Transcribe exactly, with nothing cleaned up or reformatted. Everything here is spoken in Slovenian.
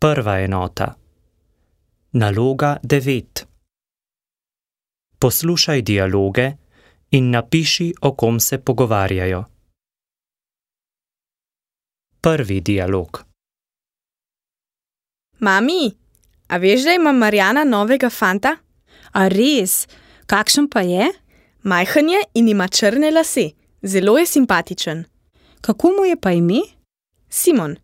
Prva enota. Naloga devet. Poslušaj dialoge in napiši, o kom se pogovarjajo. Prvi dialog. Mami, a veš, da ima Marjana novega fanta? A res? Kakšen pa je? Majhen je in ima črne lase. Zelo je simpatičen. Kako mu je pa ime? Simon.